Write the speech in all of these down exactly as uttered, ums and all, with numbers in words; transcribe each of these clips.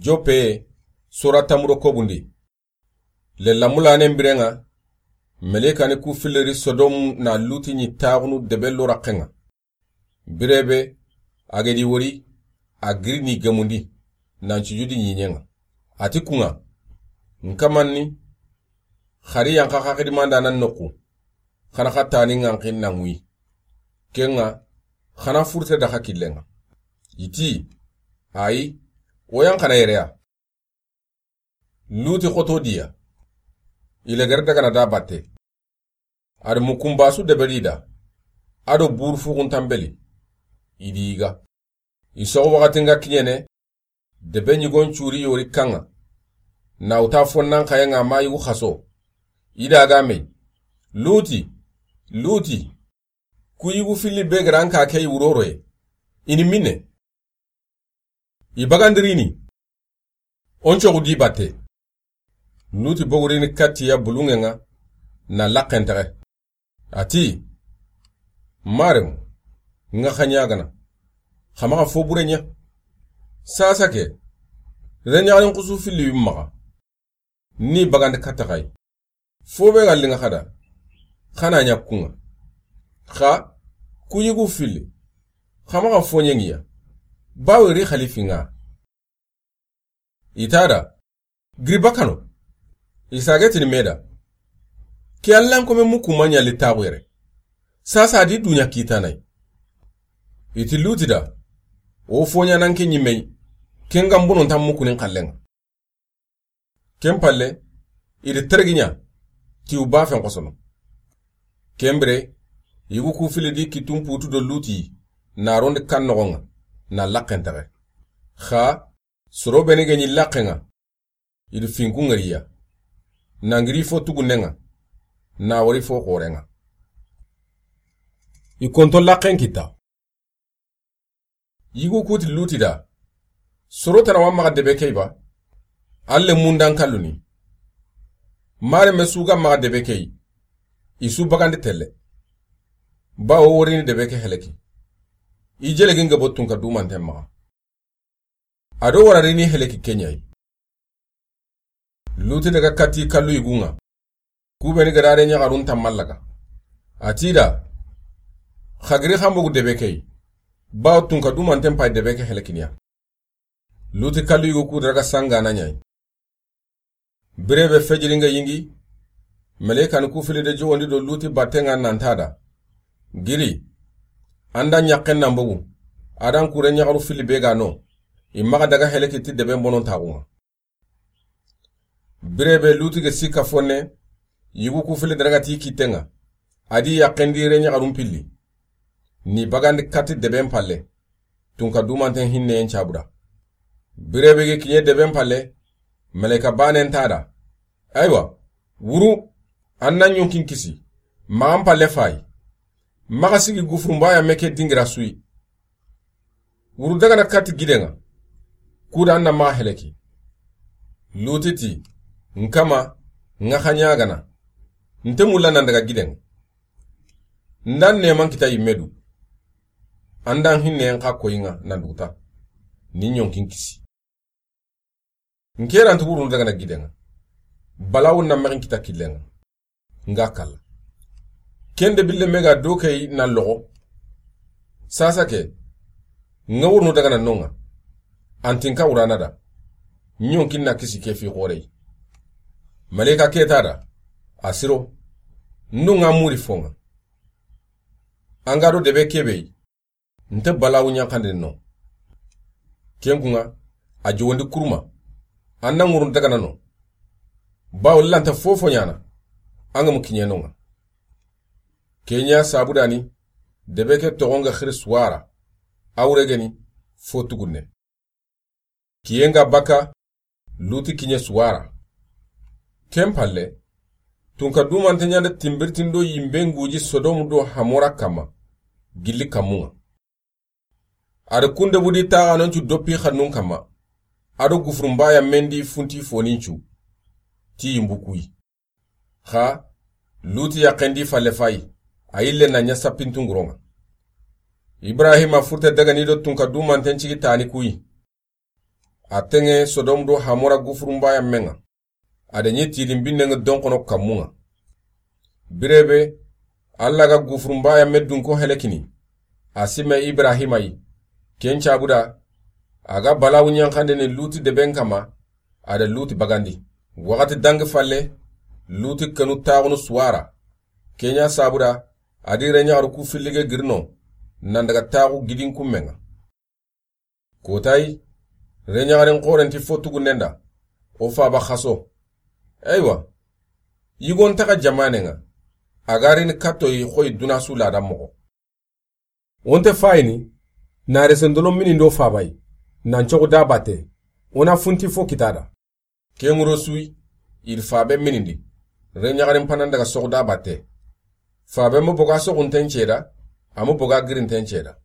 Joppe, sora tamuro kobundi. Le lamulanen birenŋa, melekani ku filiri Sodomu na Luti ɲi taxunu debe lo raxenŋa. Birebe, a gedi wori, a giri ni gemundi, nan cujudi ɲiɲenŋa. A ti kunŋa, nkamanni, xari yanxa xaxidimanda nan noxu, xana xa tani ŋanxin nan wi. Kenŋa, xana furte daxa killenŋa. I ti, ayi, o yan xana yereya. Luti xoto diya. I legere dagana da batte. A do mukumbasu deberi da. A do buru fuxun tanbeli. I di yiga. I soxo waxati nga kiɲene, debe ɲigon curi yori kanŋa. Na wuta fonnan xayenŋa ma yugu xaso. I da ga mey. Luti, Luti. Ku yugu filli be garanka ke i wuroroye. I ni minne. I bagandirini. O n coxu di batte. Luti bogurini katti ya bulunŋenŋa na laxentexe. A ti, maremu, nga xa ɲagana. Xa maxa fo bure ɲa. Sasa ke, reɲaxarin xusu filli wi maxa. Ni bagandi katta xay. Fo be ga linŋa xada. Xana ɲa kunŋa. Xa, ku yugu filli. Xa maxa fo ɲengiya. Bawe ri xalifinŋa. I ta da. Giri bakano. I sage tini me da. Ke Allan kome muku ma ɲa li taxu yere. Sasa di duɲa kitanay. I ti Luti da. O fo ɲa nan ke ɲimey. Ken ga mbonon tan mukunin xallenŋa. Ken palle, i di tergiɲa, ti u ba fen xosono. Ken bire, yugu ku filidi kitun putu do Luti, na rondi kan noxonŋa, na laxentexe. Xa, soro beni ge ɲi laxenŋa, i di finkun ŋariya. Na ngiri fo tugunnenŋa, na wari fo xorenŋa. I konto laxen kita. Yigu kuti Luti da. Soro tana wa maxa debe key ba. Alle mundan kalluni. Mare me suga maxa debe key. I su bagandi telle. Ba o worini debe ke heleki. I jele ginga bottun ka dumanten maxa. A do wararini heleki keɲayi. Luti daga kati kallu yigunŋa. Kubeni gadare ɲaxarun tammallaga. A ti da. Xagiri xambogu debe key. Bawo tunka dumanten pay debe ke helekiniya. Luti kallu yigu ku daga sangana ɲayi. Birebe fejiringa yingi. Melekan ku fili de jowondi do Luti battenŋa nanta da. Giri. Anda ɲaxen nan bogu. Adan kure ɲaxaru fili be ga no. I maxa daga heleki ti debe bonon taxunŋa. Birebe Luti ge sika fonne, yigu ku fili daragati kittenŋa, a di yaxendi re ɲaxarun pilli. Ni bagandi katti deben palle, tunka dumanten hinneyen cabuda. Birebe ge kiɲe deben palle, meleka banen tada. Aywa, wuru, an na ɲonkin kisi, maxan palle fayi. Maxa sigi gufurunbaya meke dingira suyi. Wuru dagana katti gidenŋa. Kuda an na maxa heleki. Luti ti, nkama, nga xa ɲagana. Nte mulla nan daga gidenŋa. Ndan neman kita yimme du. Andan hinne en xa koyinŋa nan duguta. Ni ɲonkin kisi. Nkeranti wurunu dagana gidenŋa. Balawun na mexin kita killenŋa. Nga kalla. Kende bille mega do key na loxo. Sasa ke. Nga wurunu dagana nonŋa. Antin ka wurana da. Ɲonkin na kisi ke fi xorey. Malika keta da. Asiro. Ndunga muri fonŋa. Anga do debe kebey. Nte balawu ɲankandini no. Kenkunŋa, a jowondi kuruma. An na ŋurun dagana no. Bawo lanta fofo ɲana. An ga mu kiɲenonŋa. Kenya sabudani, debe ke toxonga xiri suwara. Awregeni, fo tugunne. Kiyenga baka, Luti kiɲe suwara. Ken palle, tunka dumante ɲande timbirtindo yimbe nguji Sodomu do Hamora kama, gilli kamunŋa. Ada kunde budi taxanoncu doppi xannun kama, ado gufurumbaya mendi funti fonincu, ti yimbu kuyi. Xa, Luti yaxendi falle fayi, a yille na ɲa sappintunguronŋa. Ibrahima furte dagani do tunka dumanten cigi tani kuyi. A teŋe Sodom do Hamora gufurunbaya meŋa. A da ɲi tidin binneŋa donkono kammuŋa. Birebe, Alla ga gufurunbaya me dunko helekini. A sime Ibrahima yi. Ken cabuda, a ga balawu ɲanxandini Luti deben kama, a da Luti bagandi. Waxati dangi falle, Luti kenu taxunu suwara. Kenya sabuda, a di reɲaxaru ku fillige girino, nan daga taxu gidin kummeŋa. Kotayi, reɲaxarin xorenti fo tugunnen da, o faba xaso. Eywa, yigon taxa jamaneŋa, a ga rini kattoyi xoyi duna su lada moxo. Wonte fayini, na resendolo minindi o fabayi, nan coxu da batte, o na funti fo kitada. Ke ŋuro suyi, i da fabe minindi, reɲaxarin panan daga soxu da batte. Fabe mo boga soxunten ceda, a mo boga girinten ceda.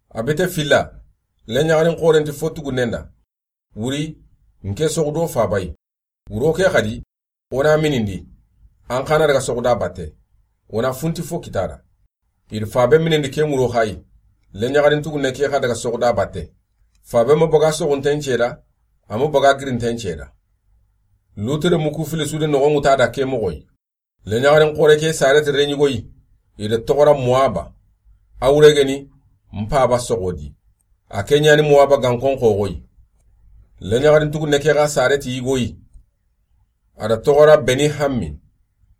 A bite filla, reɲaxarin xorenti fo tugunnen da. Wuri, nke soxu do fabayi. Wuro ke xadi, o na minindi, an xana daga soxu da batte. O na funti fo kitada. I da fabe minindi ke ŋuro xayi, reɲaxarin tugunne ke xa daga soxu da batte. Fabe mo boga soxunten ceda, a mo boga girinten ceda. Lutere muku fili sude noxon ŋuta da ke moxoyi. Reɲaxarin xore ke sareti reɲigoyi, i da toxora Moaba. A wuregeni, n paba soxodi. A ke ɲani Moaba gankon xoxoyi. Reɲaxarin tugunne ke xa sareti yigoyi. A da toxora Beni Hammi.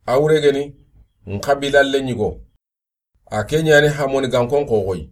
A wuregeni, n xabila leɲigo. A ke ɲani Hamoni gankon xoxoyi.